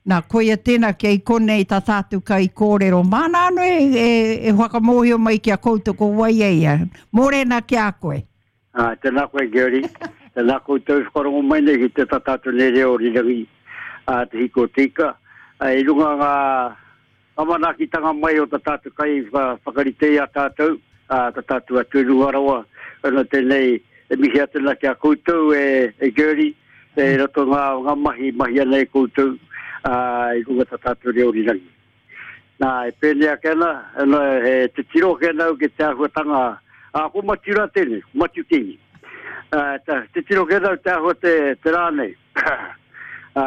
Nā, koia tēnā kei konei tā tātou kaikōrero. Māna anō e, e, e whakamōhio mai ki a koutou ko wai a ia. Mōrena ki a koe. Ā, tēnā koe Gerry. Tēnā koutou e whakarongo mai nei ki te tā tātou nei reo rirangi, ā, te hiko o te ika. Ā, i runga ngā, ngā manaakitanga mai o tā tātou kai whakarite i a tātou, ā, tā tātou atu i runga rawa, ana tēnei e mihi atu ana ki a koutou e, e Gerry, e roto ngā, ngā mahi mahi ana e koutou, ā, i runga tā tātou reo rirangi. Nā, e pēnei ake ana, ana he titiro ake ana au ki te āhuatanga, ā, ko Matiu rā tēnei, ko Matiu Kingi. Ā, ta, titiro ake ana au te āhua te, te rā nei. Ā,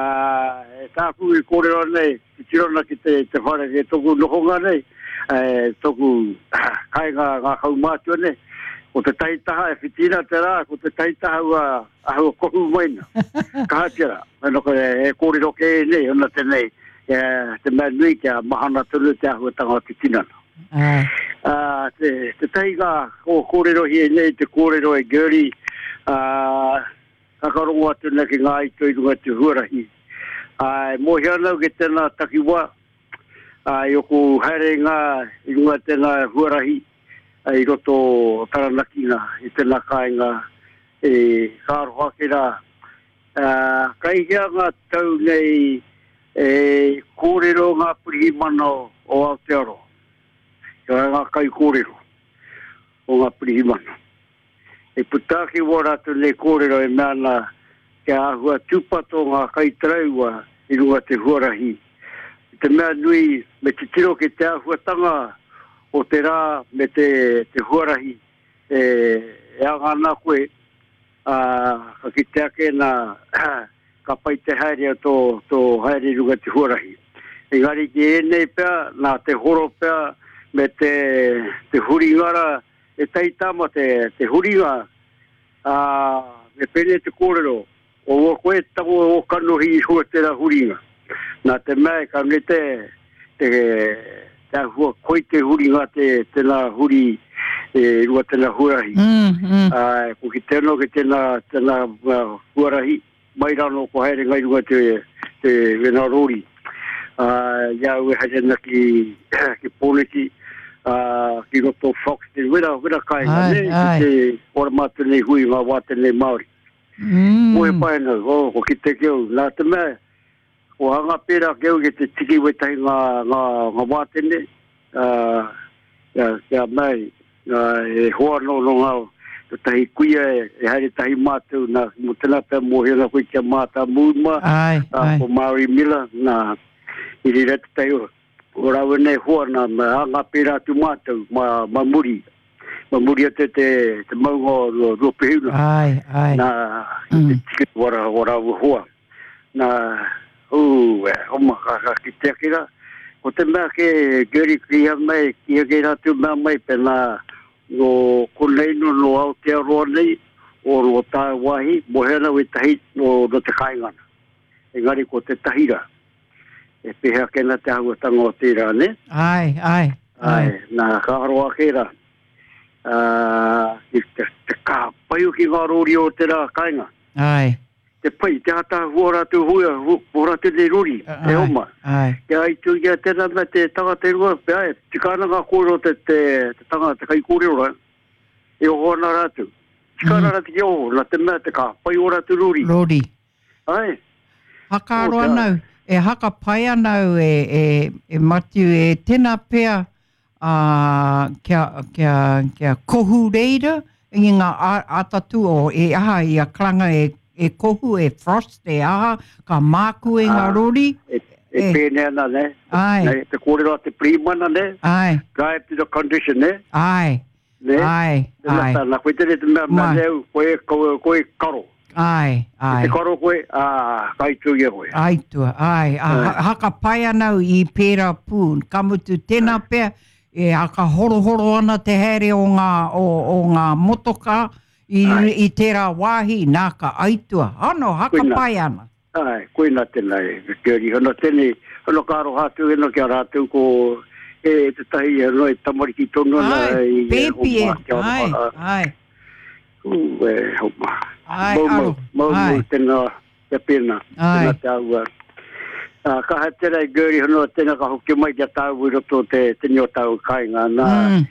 e tāku i kōrero nei, titiro ana ki te, te whare ki tōku nohonga nei, e, tōku kāinga ngā kaumātua nei, ko te tahi taha e whitina te rā, ko te tahi taha ua ahua kohu mai na. Kaha tera, no ko e kōrero kē nei, ona tēnei, e, te mea nui kia mahana tonu te āhuatanga o te tinana. Ai. Ā, te, te tahi ngā o kōrero hi nei te kōrero e Gertie, ā, kakarongo atu nei ki ngā aito i runga te huarahi. Ā, e mōhio ana au ki tēnā takiwā, ā, i oku haerenga i runga tēnā huarahi, ā, i roto o Taranaki nā, i tēnā kāinga, e, ka aroha ake rā. Ā, kai hea ngā tau nei e kōrero ngā pirihimana o Aotearoa? Kia ngā kaikōrero o ngā pirihimana. E puta ake wā rātou nei kōrero e mea ana kia āhua tūpato ngā kaitaraiwa i runga te huarahi. I te mea nui me titiro ki te āhuatanga o te rā me te, te huarahi e, e anga ana koe, ā, ka kite ake nā, ka pai te haere o tō, tō haere i runga te huarahi. Engari ki ēnei pea, nā te horo pea me te, te huringa rā, e taitama te, te huringa, ā, me pēnei te kōrero, o ua koe tango o kanohi i hua tērā huringa. Nā te mea e ka ne te, te, te ahua koi te huringa te, tēnā huri e rua tēnā huarahi. Mm, mm. Ā, ko ki te anō ki tēnā, tēnā uh, huarahi, mai rānō ko haere ngai runga te, te wena rori. Ā, i a au e haere ana ki, ki Pōneke, ā, ki roto Fox, te wera, wera kāinga, Ai, ne, ai. ki te ora mātou nei hui ngā wā tēnei Māori. Mm. Moe pai ana, oh, ko kite ki au, nā te mea, ko hanga pērā ki au ki te tiki wetahi ngā, ngā, ngā wātene, ā, kia, kia mai, ā, e hoa nō nō ngā, tētahi kuia e, e haere tahi mātou, nā, mō tēnā pea mōhio ana koe ki a Mātā Mūma, Ai, ā, ai. ko Māori Miller, nā, i reira tētahi o, o rāua nei hoa, nā, me hanga pērā atu mātou, ma, ma muri. Ma muri atu te, te maunga o Ruapehuna. Ai, ai. Nā, mm. te tiki wara, wara ua hoa. Nā, ū, e, oma, ka, ka ki te akira. Ko te mea ke, Gary, ki ia mai, ki ia ke rātou mea mai, pēnā, no konei no, no Aotearoa nei, o no tāwāhi, mohe ana wetahi no, no te kāingana. Engari ko te tahira, e pēhea ake ana te āhuatanga o tērā, nē? Āe, āe, āe. Nā, ka aro ake rā, ā, ki te, te kaha pai hoki ngā rōri o tērā kāinga. Āe. Te pai, te ātaahua o rātou hua, o rātou nei rori, e oma. Āe. Kia aitu ia tēnā mea te tangata i runga, pea e tika ana ngā kōrero te, te, te tangata, te kaikōrero rā, e oho ana rātou. Tika ana mm. rātou ki oho, nā te mea te kaha pai o rātou rori. Rori. Ai. Hakaaro ana au, e haka pai ana au e, e, e Matiu, e tena pea uh, kia, kia, kia kohu reira i ngā atatu o e aha i a karanga e, e kohu, e frost, e aha, ka māku e ngā rori. E, e, e pēnei ana, ne? Ai. Ne, te kōrero a te pirihimana, ne? Ai. Drive to the condition, ne? Ai. Ne? Ai, ai. Nā, koe tēnei te mea, mea nei, koe, koe, koe karo. Ai, ai. Te karo koe, ā, ka aitua ia koe. Aitua, ai. A, ai. Haka pai ana au i pērā pū. Ka mutu tēnā pea, e haka horohoro ana te haere o ngā, o, o ngā motokā i, i tērā wāhi, nā ka aitua. Ano, haka pai ana. Āe, koina tēnā e te uri. Hono tēnei, hono ka aroha atu hono ki a rātou ko e tētahi hono e tamariki tonu ana Āe, i e pēpi e, homa kia āe, aroha. āe. Ū, e homa. Āe, Moumou, aro, moumou āe. tēnā, kia pēnā, Āe. tēnā te āhua. Ā, kaha tērā i Gertie hono tēnā ka hoki mai ki a tāua i roto o te tini o tāua kāinga. Nā, mm.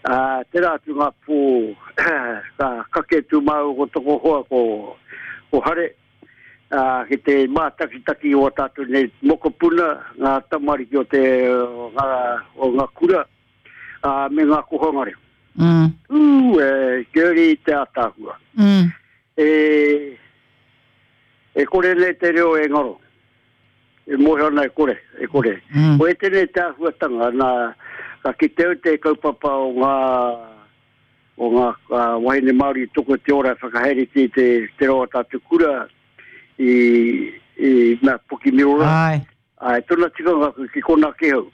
ā, tērā atu ngā pō, ka kake tū māua ko toko hoa ko, ko Hare, ā, ki te mātakitaki o a tātou nei mokopuna, ngā tamariki o te, o ngā, o ngā kura, ā, me ngā kohanga reo. Mm. Ū, e, Gertie te ātaahua. Mm. E, E kore nei te reo e ngaro. E mōhio ana e kore, e kore. Mm. Ko ētenei te āhuatanga, nā, ka kite au te kaupapa o ngā, o ngā uh, wahine Māori toko te ora e whakahaeretia i te, te reo o tātou kura i, i mea Pukimirora. Ai. Āe, tona tikanga ki kona ke au.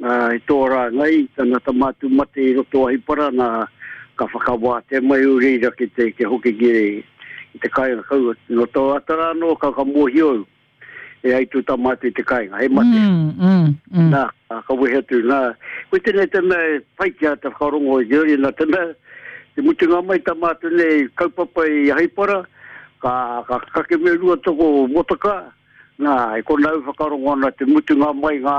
Nā, i tō rā ngai, tana tama atu mate i roto Ahipara, nā, ka whakawātea mai au reira ki te, kia hoki ki, ki te kāinga kau. Nō tō ata rā anō, ka, ka mōhio au, e ai tū tama atu i te kāinga, he mate. Mm, mm, mm. Nā, ka wehe atu, nā, koe tēnei te mea e pai ki a te whakarongo i Georgie, nā te mea, te mutunga mai tama atu nei kaupapa i Ahipara, ka, ka kake me Ruatoko motoka, Nā, e kona au whakarongo ana te mutunga mai ngā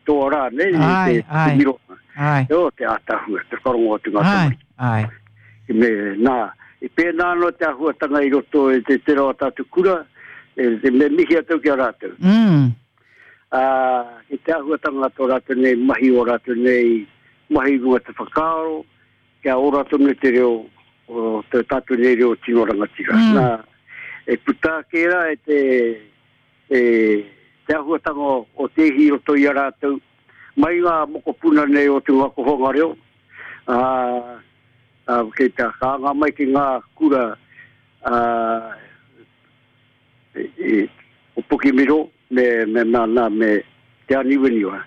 toa rā, nei, ai, te, ai, te miro. Ai. O, te ātaahua, te whakarongo atu ngā tamariki. Ai, ai. Me, nā, i pēnā anō te āhuatanga i roto i te tera o tātou kura, e, te me mihi atu ki a rātou. Mm. Ā, ki te āhuatanga tō rātou nei mahi o rātou nei mahi runga te whakaaro, kia ora tonu te reo, o te tātou nei reo tino rangatira. Mm. Nā, e puta ake rā e te, e, te āhuatanga o, o te ihi i roto i a rātou, mai ngā mokopuna nei o te ngā kohonga reo, ā, ā, kei te ka anga mai ki ngā kura, ā, i, i, o Pukemiro me, me, nā, nā, me Te Āniwaniwa.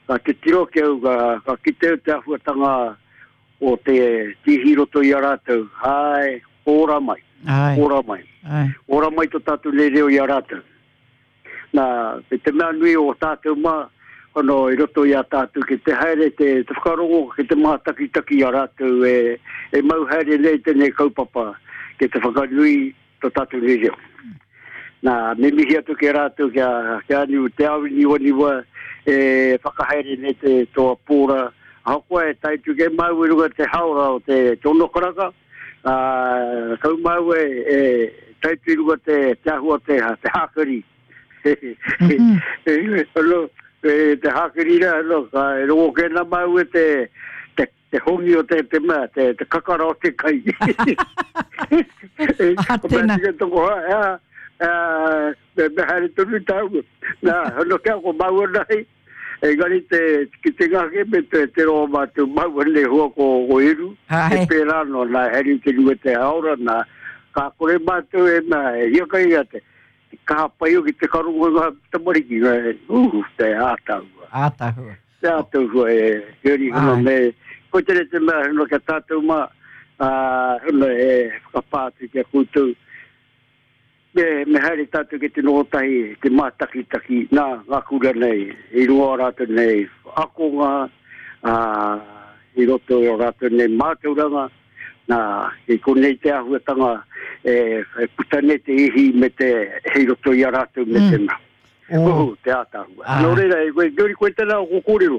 Ka titiro ki au, ka, ka kite au te āhuatanga o te tīhi roto i a rātou, āe, ora mai, Ai. ora mai. Ai. Ora mai to tātou nei reo i a rātou. Nā, me te mea nui o tātou mā, hono i roto i a tātou ki te haere te, te whakarongo ki te mātakitaki i a rātou e, e mau haere nei tēnei kaupapa ki te whakanui to tātou nei reo. Nā, me mihi atu ki a rātou, ki a, ki a Niu, Te Awiniwaniwa, e whakahaere nei te toa pōra. Ahakoa e tae atu kei māua i runga te haora o te, te ono karaka, ā, kau māua e, e tae atu i runga te, te ahua te, te hākari. Mm -hmm. e, te hākari rā, no, ka e rongo kē nā māua te, te Te hongi o te, te mea, te, te kakara o te kai. Ah, tēnā. Ko toko ha, ea, ea, me, me haere tonu tāua. Nā, hono kia ko maua nei, engari te, ki te ngake me te, te roa mātou maua nei hua ko, ko Eru, Ai. e pērā no, nā, haere te rua te haora, nā, ka kore mātou e mea, e hiakai a te, te kaha pai o ki te karongo ngā tamariki, ngā, uh, te ātaua. Ātaahua. Te ātaahua e Heri hono me ko tere te mea hono kia tātou mā ā hono e whakapā atu ki a koutou me, me haere tātou ki te noho tahi te mātakitaki nā ngā kura nei i runga o rātou nei akonga ā i roto i o rātou nei mātauranga nā i konei te āhuatanga e, e puta nei te ihi me te i roto i a rātou me Mm. te mea. Oh. Oh, te ātaahua. Āe. Nō reira, e koe, koe tēnā o kōrero.